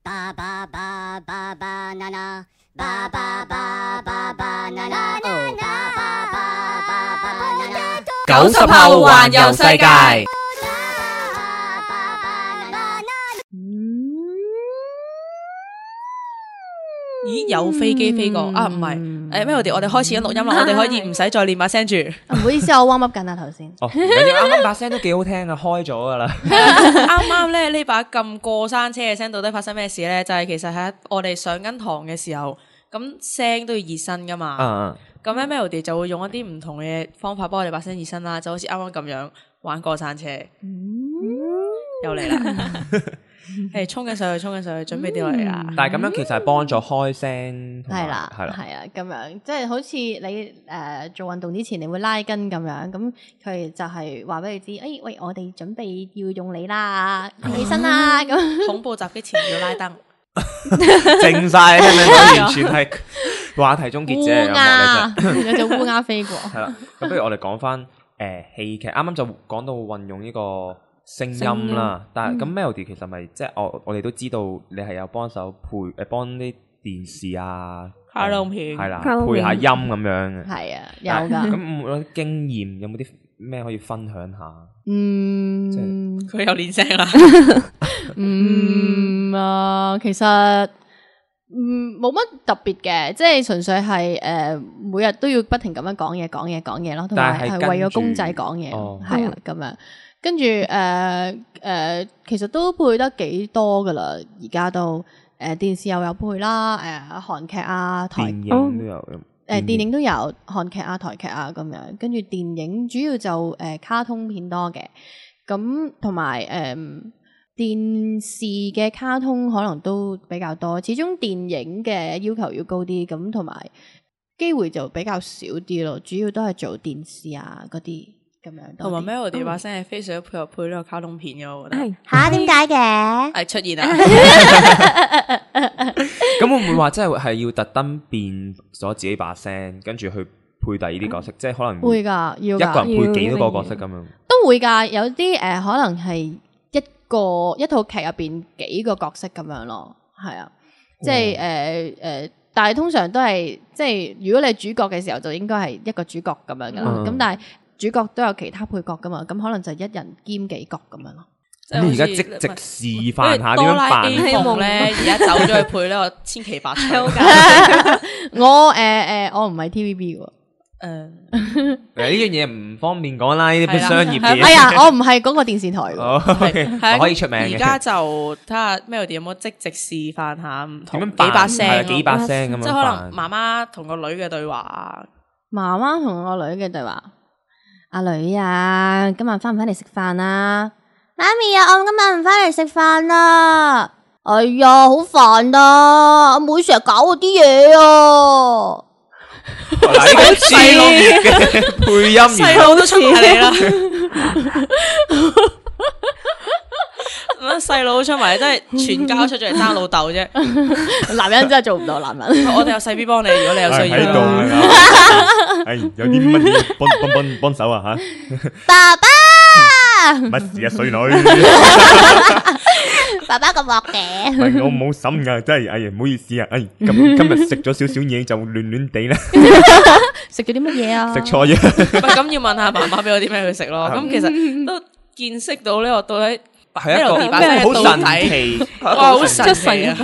90後環遊世界。咦，有飛機飛過啊？唔係，Melody，我哋開始緊錄音啦，我哋可以唔使再練把聲住。唔好意思，我 warm up 緊啊頭先。哦，啱啱把聲都幾好聽啊，開咗噶啦。啱啱咧呢把咁過山車嘅聲，到底發生咩事咧？就係其實喺我哋上緊堂嘅時候，咁聲都要熱身噶嘛。咁咧 Melody 就會用一啲唔同嘅方法幫我哋把聲熱身啦，就好似啱啱咁樣玩過山車。又嚟啦！係衝緊上去，準備掉落嚟啦。但係咁樣其實係幫助開聲，係啦，咁樣即係好似你做運動之前你會拉筋咁樣，咁佢就係話俾你知，喂，我哋準備要用你啦，起身啦咁。恐怖襲擊前要拉燈，靜晒，聽唔聽到？完全係話題終結者烏鴉，有隻烏鴉飛過。係啦，咁不如我哋講翻戲劇，啱啱就講到運用呢個聲音啦，但係咁 Melody 其實咪即係我哋都知道你係有幫手配幫啲電視啊、卡通片係啦，配下音咁樣嘅。係啊，有㗎。咁有啲經驗，有冇啲咩可以分享下？即係佢有練聲啦。其實冇乜特別嘅，即係純粹係每日都要不停咁樣講嘢咯，同埋係為咗公仔講嘢，係啊咁樣。跟住其實都配得幾多噶啦，而家都電視又有配啦，韓劇啊、台電影都有，電影都有韓劇啊、台劇啊咁樣。跟住電影主要就卡通片多嘅，咁同埋電視嘅卡通可能都比較多。始終電影嘅要求要高啲，咁同埋機會就比較少啲咯。主要都係做電視啊嗰啲。同埋 Melody 把聲係非常配合配呢個卡通片嘅，我覺得吓，點解嘅？係出現啊！咁會唔會話真係要特登變咗自己把聲，跟住去配第二啲角色？即係可能會㗎，要一個人配幾多個角色咁樣？都會㗎，有啲可能係一套劇入邊幾個角色咁樣咯，係啊，即係但係通常都係即係如果你係主角嘅時候，就應該係一個主角咁樣㗎啦。咁但係主角都有其他配角噶嘛，咁可能就一人兼幾角咁樣咯。咁而家即示範下點樣扮咧？而家走咗去配呢個千奇百趣。我唔係 TVB 嘅。呢樣嘢唔方便講啦，呢啲商業嘅嘢。哎呀，我唔係嗰個電視台嘅。係可以出名嘅。而家就睇下 Melody 有冇即示範下唔同幾把聲，幾把聲咁樣。即係可能媽媽同個女嘅對話。媽媽同個女嘅對話。阿女啊，今日翻唔翻嚟食飯啊？媽咪啊，我今日唔翻嚟食飯啦。哎呀，好煩啊！阿妹成日搞我啲嘢啊！嗱，呢個細佬嘅配音員，細佬都出埋嚟啦。細佬出埋，真係全家出咗嚟爭老豆啫。男人真係做唔到男人。我哋有細 B 幫你，如果你有需要。喺度係有啲乜嘢幫手啊吓？爸爸，乜事啊，衰女？爸爸咁惡嘅。我冇心噶，真係，哎呀，唔好意思啊，今日食咗少少嘢就亂地啦。食咗啲乜嘢啊？食錯嘢。咁要問下媽媽俾我啲咩去食咯。咁其實都見識到呢個到底。係一個好神奇，哇，好神奇啊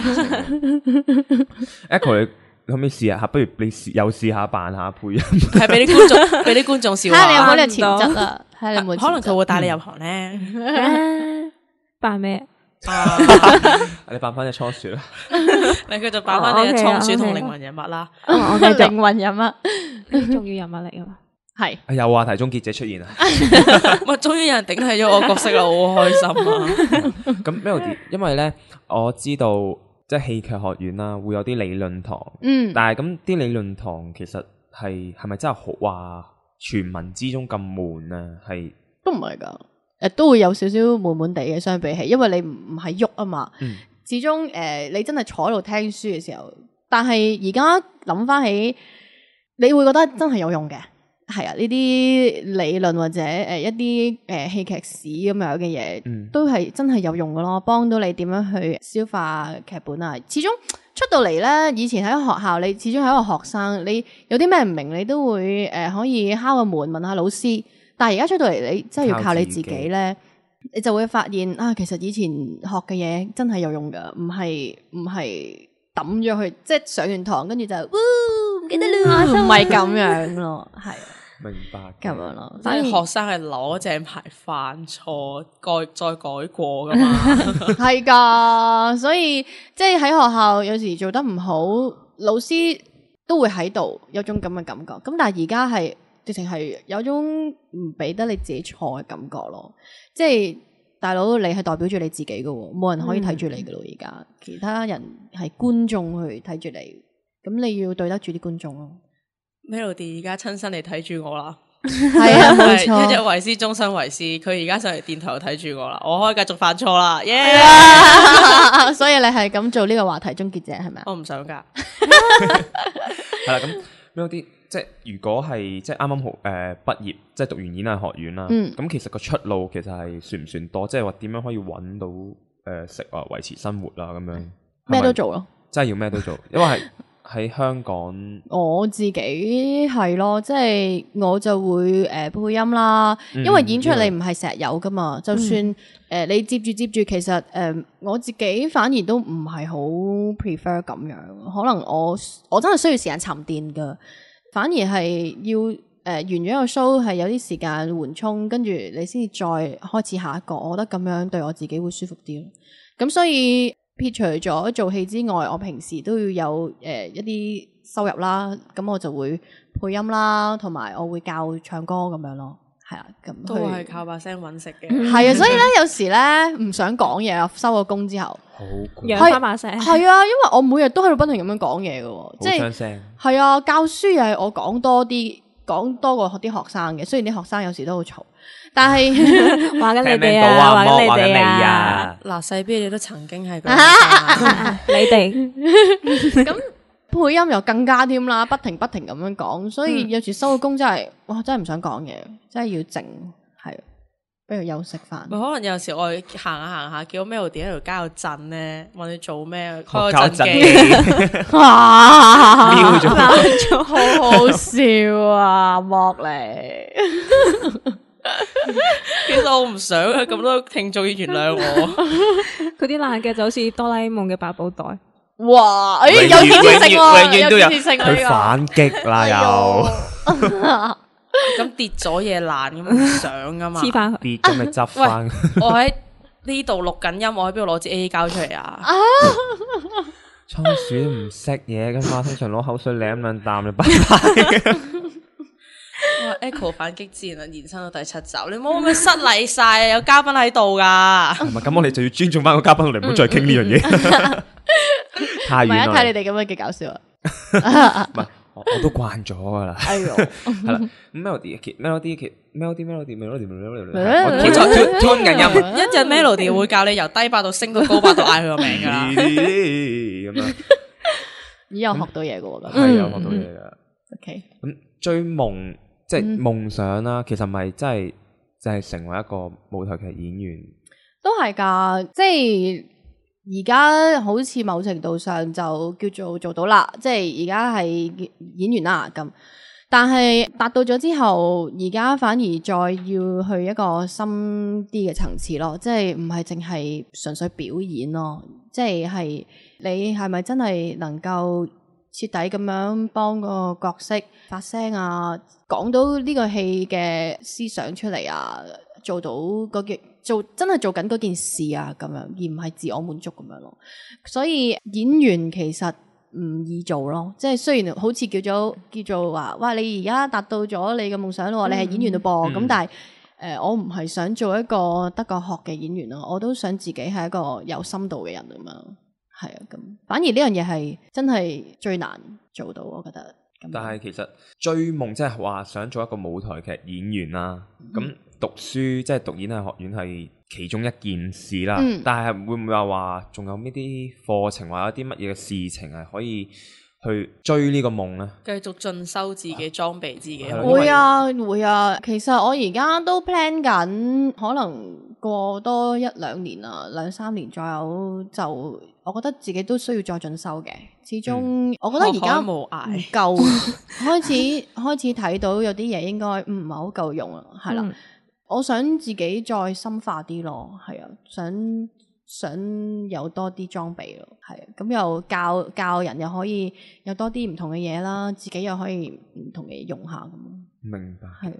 ！Echo， 你可唔可以試下？不如你又試下扮下配音，係俾啲觀眾笑下。睇下你有冇呢個潛質啊？睇下你有冇？可能佢會帶你入行咧。扮咩？你扮翻隻倉鼠啦！你繼續扮翻你隻倉鼠同靈魂人物啦。我嘅靈魂人物，呢啲重要人物嚟噶嘛？係有話題終結者出現啊！咪終於有人頂替咗我角色啦，好開心啊！咁 Melody， 因為咧我知道即係戲劇學院啦，會有啲理論堂。但係咁啲理論堂其實係咪真係好話傳聞之中咁悶啊？係都唔係噶，都會有少少悶悶地嘅，相比起，因為你唔係喐啊嘛。始終你真係坐喺度聽書嘅時候，但係而家諗翻起，你會覺得真係有用嘅。係啊，呢啲理論或者一啲戲劇史咁樣嘅嘢，都係真係有用㗎咯，幫到你點樣去消化劇本啊。始終出到嚟咧，以前喺學校，你始終係一個學生，你有啲咩唔明，你都會可以敲個門問下老師。但係而家出到嚟，你真係要靠你自己咧，你就會發現啊，其實以前學嘅嘢真係有用㗎，唔係抌咗去，即係上完堂跟住就唔記得啦，唔係咁樣咯，係。明白咁樣咯，反而學生係攞正牌犯錯再改過噶嘛，係噶，所以即係喺學校有時做得唔好，老師都會喺度有種咁嘅感覺。咁但係而家係直情係有種唔俾得你自己錯嘅感覺咯。即係大佬，你係代表住你自己噶，冇人可以睇住你噶咯。而家其他人係觀眾去睇住你，咁你要對得住啲觀眾咯。Melody 而家親身嚟睇住我啦，係啊，冇錯，一日為師，終身為師。佢而家上嚟電台睇住我啦，我可以繼續犯錯啦，耶！所以你係咁做呢個話題終結者係咪？我唔想噶。係啦，咁 Melody 即係如果係即係啱啱好畢業，即係讀完演藝學院啦，咁其實個出路其實係算唔算多？即係話點樣可以揾到食啊維持生活啦咁樣？咩都做咯，真係要咩都做，因為係。喺香港，我自己係咯，即係我就會配音啦，因為演出你唔係成日有噶嘛，就算你接住，其實我自己反而都唔係好 prefer 咁樣，可能我真係需要時間沉澱噶，反而係要完咗一個 show 係有啲時間緩衝，跟住你先至再開始下一個，我覺得咁樣對我自己會舒服啲咯。咁所以撇除咗做戲之外，我平時都要有一啲收入啦，咁我就會配音啦，同埋我會教唱歌咁樣咯，係啊，咁都係靠把聲揾食嘅。係啊，所以咧有時咧唔想講嘢啊，收咗工之後，好養翻把聲。係啊，因為我每日都喺度不停咁樣講嘢嘅，即係係啊，教書又係我講多過啲學生嘅，雖然啲學生有時都好嘈。但係話緊你哋啊，話緊你哋啊，嗱細 B 你都曾經係你哋咁配音又更加添啦，不停咁樣講，所以有時收咗工真係，哇真係唔想講嘢，真係要靜，係不如休息翻。可能有時我行下，見到 Melody 喺條街度震咧，問你做咩？開個震機，哇，好好笑啊，莫嚟。其實我唔想啊，咁多聽眾要原諒我。佢啲爛嘅就好似哆啦 A 夢嘅百寶袋。哇！有建設性喎，永遠都有建設性佢反擊啦又。咁跌咗嘢爛咁唔想噶嘛？黐翻跌咗咪執翻。我喺呢度錄緊音，我喺邊度攞支 A 膠出嚟啊？倉鼠都唔識嘢噶嘛，通常攞口水舐兩啖就拜拜。Echo 反擊自然延伸到第7集，你唔好咁樣失禮晒啊！有嘉賓喺度噶，唔係咁我哋就要尊重翻個嘉賓，我哋唔好再傾呢樣嘢。太遠啦！睇你哋咁樣嘅搞笑啊！唔係，我都慣咗噶啦。哎呦，係啦，Melody，我吞緊音，一陣 Melody 會教你由低八度升到高八度嗌佢個名噶啦。咁樣，咦有學到嘢噶喎，係有學到嘢噶。OK，咁追夢。即係夢想啦，其實咪真係就係成為一個舞台劇演員，都係噶。即係而家好似某程度上就叫做到啦，即係而家係演員啦咁。但係達到咗之後，而家反而再要去一個深啲嘅層次咯，即係唔係淨係純粹表演咯，即係你係咪真係能夠徹底咁樣幫個角色發聲啊，講到呢個戲嘅思想出嚟啊，做到真係做緊嗰件事啊，咁樣而唔係自我滿足咁樣咯。所以演員其實唔易做咯，即係雖然好似叫做話，哇！你而家達到咗你嘅夢想咯，你係演員咯噃。咁但係我唔係想做一個得個學嘅演員咯，我都想自己係一個有深度嘅人咁樣。係啊，咁反而呢樣嘢係真係最難做到，我覺得。但係其實追夢即係話想做一個舞台劇演員啦，咁讀書即係讀演藝學院係其中一件事啦。但係會唔會話仲有呢啲課程或者啲乜嘢嘅事情係可以去追呢個夢咧？繼續進修自己，裝備自己。會啊，其實我而家都 plan 緊，可能過多1-2年啊，2-3年左右就，我覺得自己都需要再進修嘅。始終我覺得而家唔夠，開始睇到有啲嘢應該唔係好夠用啊，係啦。我想自己再深化啲咯，係啊，想有多啲裝備咯，係啊，咁又教人又可以有多啲唔同嘅嘢啦，自己又可以唔同嘅嘢用下咁。明白。係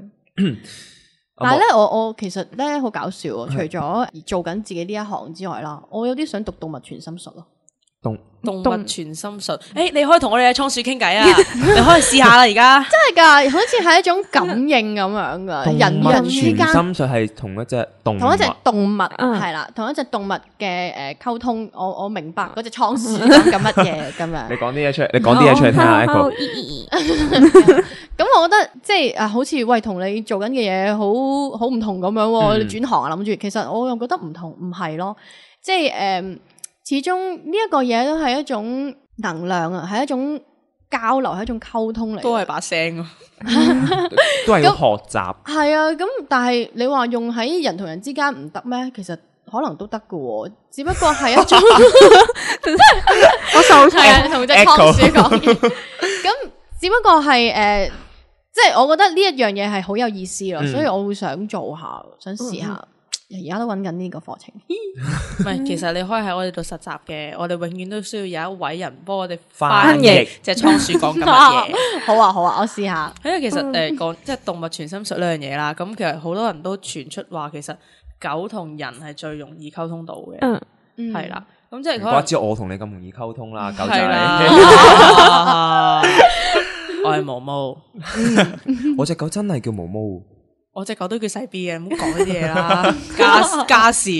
啊，但係咧，我其實咧好搞笑啊！除咗做緊自己呢一行之外啦，我有啲想讀動物傳心術咯。動物傳心術，你可以同我哋嘅倉鼠傾偈啊！你可以試下啦，而家真係㗎，好似係一種感應咁樣㗎。人與人之間傳心術係同一隻動物係啦，同一隻動物嘅溝通。我明白嗰隻倉鼠講緊乜嘢咁樣。你講啲嘢出嚟，你講啲嘢出嚟聽下 Echo。咁我覺得即係好似喂同你做緊嘅嘢好唔同咁樣喎。你轉行啊，諗住其實我又覺得唔同，唔係咯，即係始終呢一個嘢都係一種能量啊，係一種交流，係一種溝通嚟，都係把聲啊，都係要學習。係啊，咁但係你話用喺人同人之間唔得咩？其實可能都得㗎，只不過係一種我受齊同隻倉鼠講嘢，咁只不過係即係我覺得呢一樣嘢係好有意思咯，所以我會想做下，想試下。而家都揾緊呢個課程，唔係，其實你可以喺我哋度實習嘅，我哋永遠都需要有一位人幫我哋翻譯隻倉鼠講緊乜嘢。好啊，我試下。因為其實講即係動物傳心術呢樣嘢啦，咁其實好多人都傳出話，其實狗同人係最容易溝通到嘅，係啦。咁即係可能知我同你咁容易溝通啦，狗仔。我係毛毛，我隻狗真係叫毛毛。我隻狗都叫細 B 嘅，唔好講呢啲嘢啦，家事，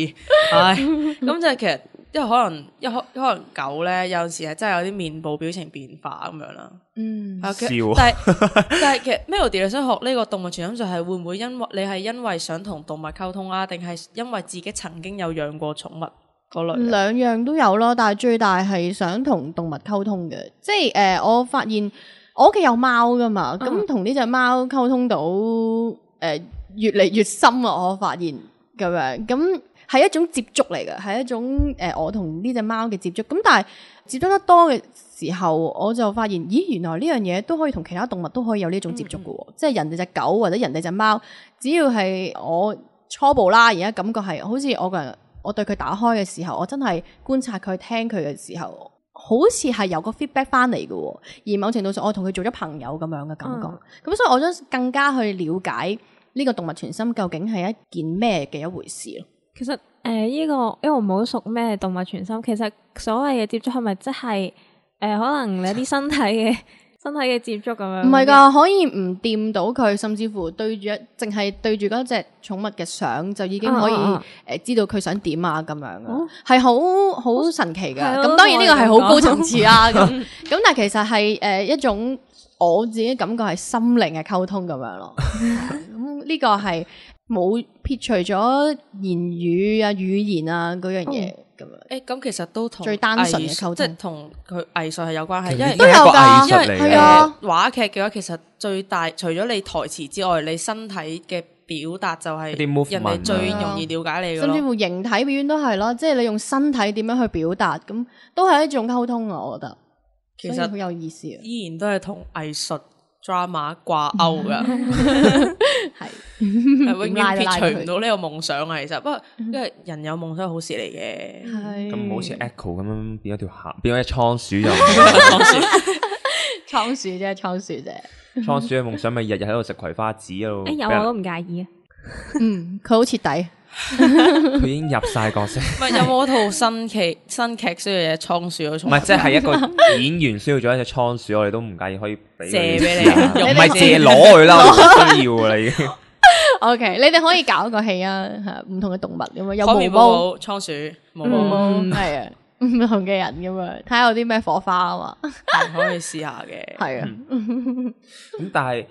唉，咁就係其實因為可能狗咧有陣時係真係有啲面部表情變化咁樣啦，但係其實 Melody 你想學呢個動物傳心術係會唔會因為想同動物溝通啊，定係因為自己曾經有養過寵物嗰類？兩樣都有咯，但係最大係想同動物溝通嘅，即係我發現我屋企有貓噶嘛，咁同呢隻貓溝通到。越嚟越深啊！我發現咁樣，咁係一種接觸嚟嘅，係一種我同呢隻貓嘅接觸。咁但係接觸得多嘅時候，我就發現，咦，原來呢樣嘢都可以同其他動物都可以有呢種接觸嘅喎。即係人哋隻狗或者人哋隻貓，只要係我初步啦，而家感覺係好似我對佢打開嘅時候，我真係觀察佢、聽佢嘅時候。好似係有個 feedback 翻嚟嘅，而某程度上我同佢做咗朋友咁樣嘅感覺，咁所以我想更加去了解呢個動物傳心究竟係一件咩嘅一回事咯。其實呢個因為我唔好熟咩動物傳心，其實所謂嘅接觸係咪即係可能你啲身體嘅接觸咁樣？唔係㗎，可以唔掂到佢，甚至乎淨係對住嗰隻寵物嘅相就已經可以知道佢想點啊咁樣嘅，係好神奇㗎。咁當然呢個係好高層次啦。咁但係其實係一種我自己感覺係心靈嘅溝通咁樣咯。咁呢個係冇撇除咗言語啊、語言啊嗰樣嘢。咁其實都同最單純嘅溝通，即係同佢藝術係有關係，因為都有㗎，因為係啊，話劇嘅話，其實最大除咗你台詞之外，你身體嘅表達就係人哋最容易了解你嘅咯。甚至乎形體表演都係咯，即係你用身體點樣去表達，咁都係一種溝通啊！我覺得其實好有意思啊，依然都係同藝術 drama 掛鈎噶，係永遠撇除唔到呢個夢想啊！其實不過因為人有夢想係好事嚟嘅，咁好似 Echo 咁樣變咗條蟹，變咗隻倉鼠就倉鼠啫，倉鼠啫。倉鼠嘅夢想咪日日喺度食葵花籽咯。有我都唔介意啊。佢好徹底。佢已經入晒角色。唔係有冇套新劇需要隻倉鼠？唔係，即係一個演員需要咗一隻倉鼠，我哋都唔介意可以借俾你，唔係借攞佢啦，我唔需要噶啦已經。OK， 你哋可以搞一個戲啊，唔同嘅動物咁樣，有毛毛、倉鼠、毛毛，係啊，唔同嘅人咁樣，睇下有啲咩火花啊嘛，可以試下嘅。係啊，咁但係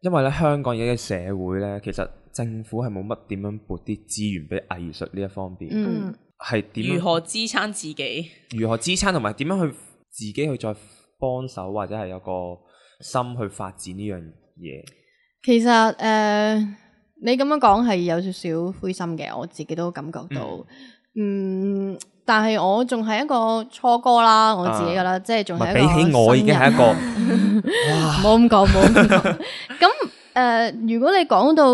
因為咧香港而家嘅社會咧，其實政府係冇乜點樣撥啲資源俾藝術呢一方面，係點？如何支撐自己？如何支撐同埋點樣去自己去再幫手或者係有個心去發展呢樣嘢？其實你咁樣講係有少少灰心嘅，我自己都感覺到。但係我仲係一個初哥啦，我自己噶啦，即係仲係一個比起我已經係一個，哇！冇咁講。咁如果你講到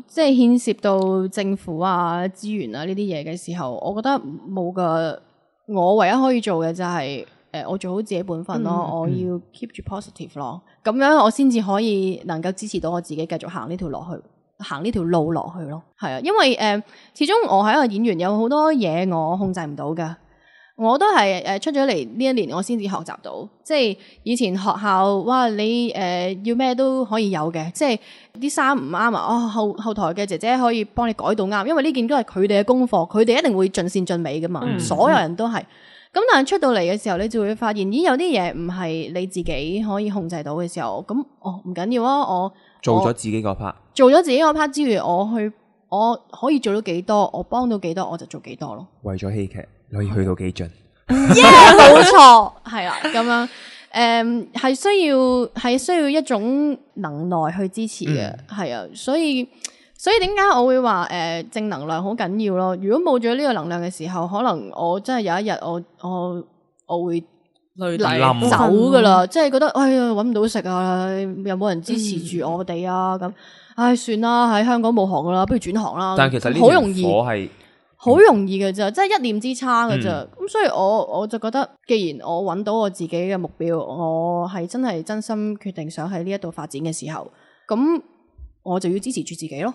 即係牽涉到政府啊、資源啊呢啲嘢嘅時候，我覺得冇噶。我唯一可以做嘅就係我做好自己本分咯，我要 keep 住 positive 咯，咁樣我先至可以能夠支持到我自己繼續行呢條路落去咯。係啊，因為始終我係一個演員，有好多嘢我控制唔到噶。我都係出咗嚟呢一年，我先至學習到。即係以前學校，哇，你要咩都可以有嘅，即係啲衫唔啱啊，後台嘅姐姐可以幫你改到啱，因為呢件都係佢哋嘅功課，佢哋一定會盡善盡美噶嘛，所有人都係。咁但係出到嚟嘅時候，你就會發現，咦，有啲嘢唔係你自己可以控制到嘅時候，咁唔緊要啊，我做咗自己個 part，做咗自己個 part 之餘，我可以做到幾多，我幫到幾多，我就做幾多咯。為咗戲劇，你可以去到幾盡？冇錯，係啦，咁樣係需要一種能耐去支持嘅，係啊，所以點解我會話正能量好緊要咯？如果冇咗呢個能量嘅時候，可能我真係有一日我會累走噶啦，即係覺得哎呀搵唔到食啊，又冇人支持住我哋啊，咁算啦，喺香港冇行噶啦，不如轉行啦。但其實呢條火係好容易嘅咋，即係一念之差嘅咋。咁所以我就覺得，既然我揾到我自己嘅目標，我係真係真心決定想喺呢一度發展嘅時候，咁我就要支持住自己咯。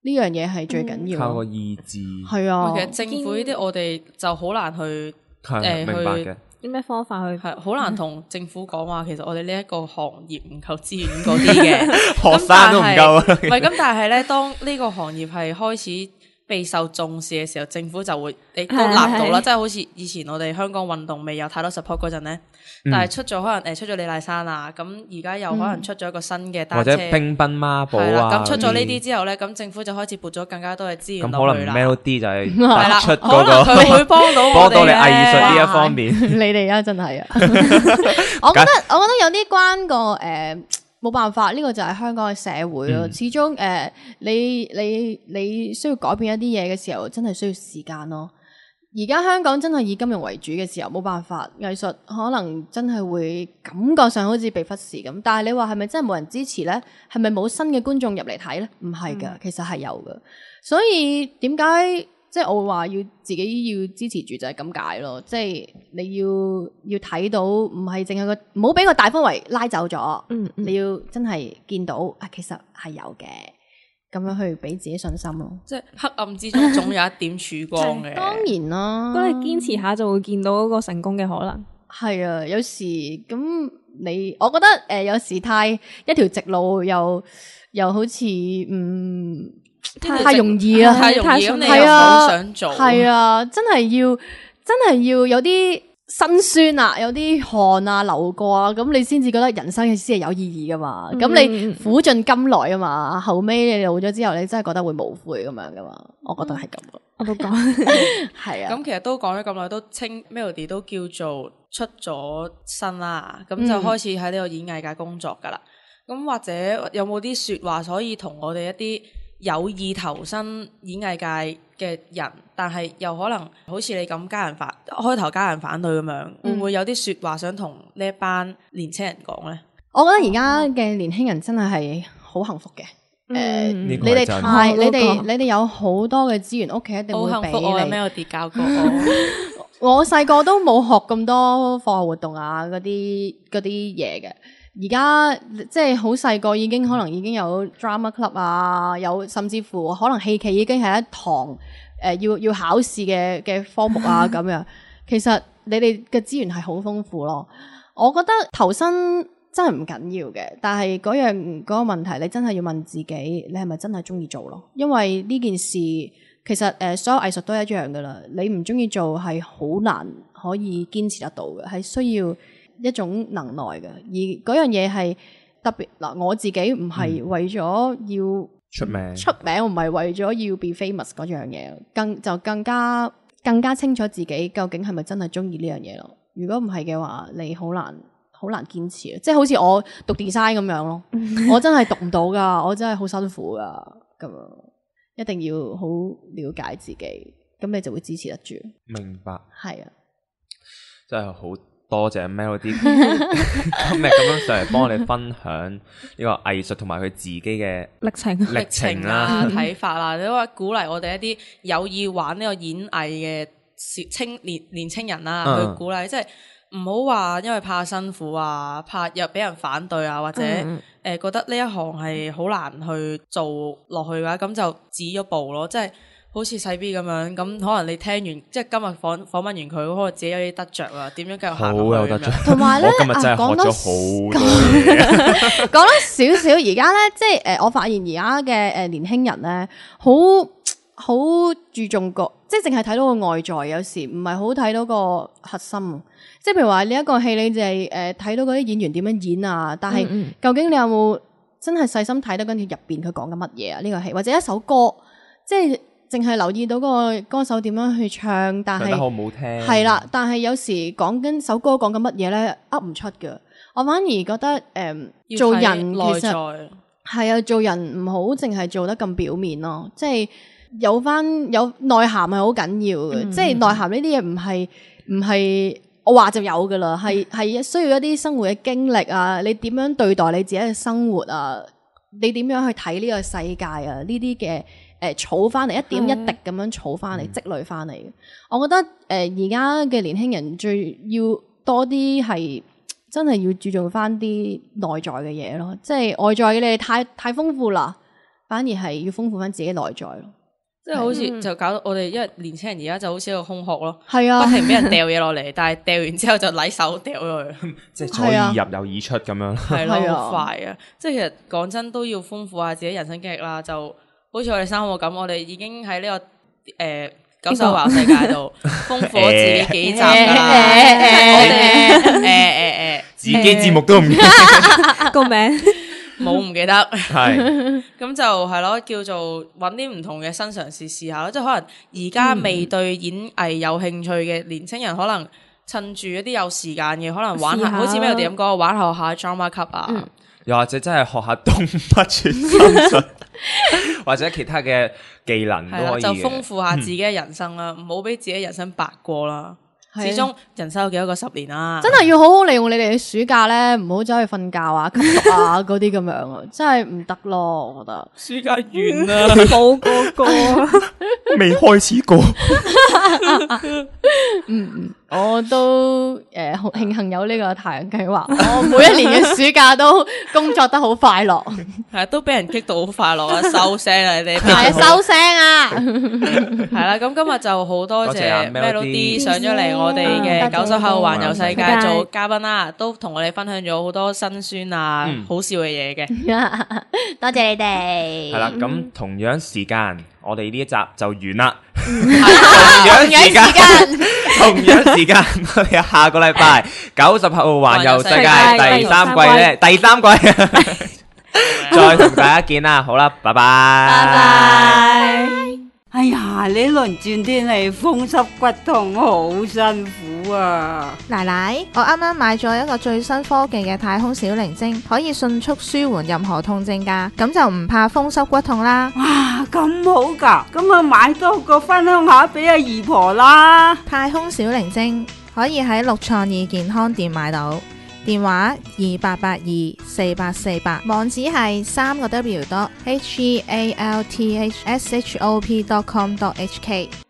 呢樣嘢係最緊要。靠個意志。係啊。其實政府呢啲我哋就好難去明白嘅。啲咩方法去？係好難同政府講話，其實我哋呢一個行業唔夠資源嗰啲嘅，學生都唔夠啊。唔係咁，但係咧，當呢個行業係開始備受重視嘅時候，政府就會亦都立到啦，即係好似以前我哋香港運動未有太多 support 嗰陣咧，但係出咗可能出咗李麗珊啊，咁而家又可能出咗一個新嘅單車或者乒乓孖寶啊，咁出咗呢啲之後咧，咁政府就開始撥咗更加多嘅資源落去啦。咁可能 Melody 就係出嗰個，可能佢會幫到我哋，幫到你藝術呢一方面。你哋啊，真係啊！我覺得有啲關個冇辦法，呢個就係香港嘅社會咯。始終你需要改變一啲嘢嘅時候，真係需要時間咯。而家香港真係以金融為主嘅時候，冇辦法，藝術可能真係會感覺上好似被忽視咁。但係你話係咪真係冇人支持呢？係咪冇新嘅觀眾入嚟睇呢？唔係噶，其實係有噶。所以點解即係我會話要自己要支持住就係咁解咯。即係你要睇到，唔係淨係唔好俾個大氛圍拉走咗。你要真係見到其實係有嘅。咁樣去俾自己信心咯，即係黑暗之中總有一點曙光嘅。當然啦，如果你堅持下就會見到嗰個成功嘅可能。係啊，有時咁我覺得有時太一條直路又好似太容易啦，太容易咁，你又好想做。係啊，真係要有啲辛酸啊，有啲汗啊流過啊，咁你先至覺得人生先係有意義噶嘛。咁你苦盡甘來啊嘛，後尾你老咗之後，你真係覺得會無悔咁樣噶嘛。我覺得係咁。我都講係啊。咁其實都講咗咁耐，都稱 Melody 都叫做出咗身啦，咁就開始喺呢個演藝界工作噶啦。咁或者有冇啲說話可以同我哋一啲有意投身演藝界嘅人，但係又可能好似你咁開頭家人反對咁樣，會唔會有啲說話想同呢一班年青人講呢？我覺得而家嘅年輕人真係好幸福嘅。你哋有好多嘅資源，屋企一定會俾你。好幸福，我有 Melody 教過我。我細個都冇學咁多課外活動啊，嗰啲嘢嘅。而家即係好細個已經可能已經有 drama club 啊，有甚至乎可能戲劇已經係一堂要考試嘅科目啊咁樣。其實你哋嘅資源係好豐富咯。我覺得投身真係唔緊要嘅，但係嗰個問題你真係要問自己，你係咪真係中意做咯？因為呢件事其實所有藝術都一樣噶啦，你唔中意做係好難可以堅持得到嘅，係需要一種能耐嘅。而嗰樣嘢係特別嗱，我自己唔係為咗要出名，我唔係為咗要 be famous 嗰樣嘢，更加清楚自己究竟係咪真係中意呢樣嘢咯。如果唔係嘅話，你好難好難堅持，即係好似我讀 design 咁樣咯，我真係讀唔到噶，我真係好辛苦噶，咁一定要好了解自己，咁你就會支持得住。明白，係啊，真係好多謝 Melody 今日咁樣上嚟幫我哋分享呢個藝術同埋佢自己嘅歷程啦、睇法啦，你話鼓勵我哋一啲有意玩呢個演藝嘅年青人啦，去鼓勵，即係唔好話因為怕辛苦啊，怕又俾人反對啊，或者覺得呢一行係好難去做落去嘅話，咁就止咗步咯。即係好似細 B 咁樣，咁可能你聽完即係今日訪問完佢，可能自己有啲得着啊，點樣繼續行落去。好有得着。同埋咧，我今日真係學咗好多嘢。講多少少，而家咧，即係我發現而家嘅年輕人咧，好注重個，即係淨係睇到個外在，有時唔係好睇到個核心。即係譬如話呢一個戲，你就係睇到嗰啲演員點樣演啊，但係究竟你有冇真係細心睇得跟住入邊佢講緊乜嘢啊？呢個戲或者一首歌，即係淨係留意到個歌手點樣去唱，但係唱得好唔好聽？係啦，但係有時講緊首歌講緊乜嘢咧，噏唔出㗎。我反而覺得做人其實係啊，做人唔好淨係做得咁表面咯，即係有內涵係好緊要嘅，即係內涵呢啲嘢唔係我話就有噶啦，係需要一啲生活嘅經歷啊，你點樣對待你自己嘅生活啊，你點樣去睇呢個世界啊，呢啲嘅儲翻嚟一點一滴咁樣儲翻嚟積累翻嚟嘅。我覺得而家嘅年輕人最要多啲係真係要注重翻啲內在嘅嘢咯，即係外在嘅你哋太豐富啦，反而係要豐富翻自己內在咯。即係好似就搞到我哋，因為年輕人而家就好似一個空殼咯，係啊，不停俾人掉嘢落嚟，但係掉完之後就禮手掉咗佢，即係左耳入右耳出咁樣。係咯，好快啊！即係其實講真都要豐富下自己人生經歷啦。就好似我哋三個咁，我哋已經喺呢個九手環世界度豐富咗自己幾集噶啦。我哋自己節目都唔記得個名。冇唔記得，係咁就係咯，叫做揾啲唔同嘅新嘗試試下咯。即係可能而家未對演藝有興趣嘅年青人，可能趁住一啲有時間嘅，可能玩下，好似咩哋咁講，玩下 drama club 啊，又或者真係學下動物傳心術，或者其他嘅技能都可以嘅，就豐富下自己嘅人生啦，唔好俾自己人生白過啦。始終人生有幾多個10年啊！真係要好好利用你哋嘅暑假咧，唔好走去瞓覺啊、吸毒啊嗰啲咁樣啊，真係唔得咯！我覺得暑假完啦，冇嗰個，未開始過。我都好慶幸有呢個太陽計劃，我每一年嘅暑假都工作得好快樂，係都俾人激到好快樂啊！收聲啊，你哋係收聲啊！係啦，咁今日就好多謝 Melody 上咗嚟我哋嘅九手後環遊世界做嘉賓啦，都同我哋分享咗好多辛酸啊、好笑嘅嘢嘅，多謝你哋。係啦，咁同樣時間，我哋呢一集就完啦。同樣時間，我哋下個禮拜90後環遊世界第三季咧，第三季再同大家見啦。好啦，拜拜。拜拜。哎呀，呢輪轉天氣風濕骨痛，好辛苦啊！奶奶，我啱啱買咗一個最新科技嘅太空小靈精，可以迅速舒緩任何痛症噶，咁就唔怕風濕骨痛啦。哇，咁好噶，咁啊買多個分享下俾阿姨婆啦。太空小靈精可以喺6創意健康店買到，電話28824848，網址係3個W.healthshop.com.hk。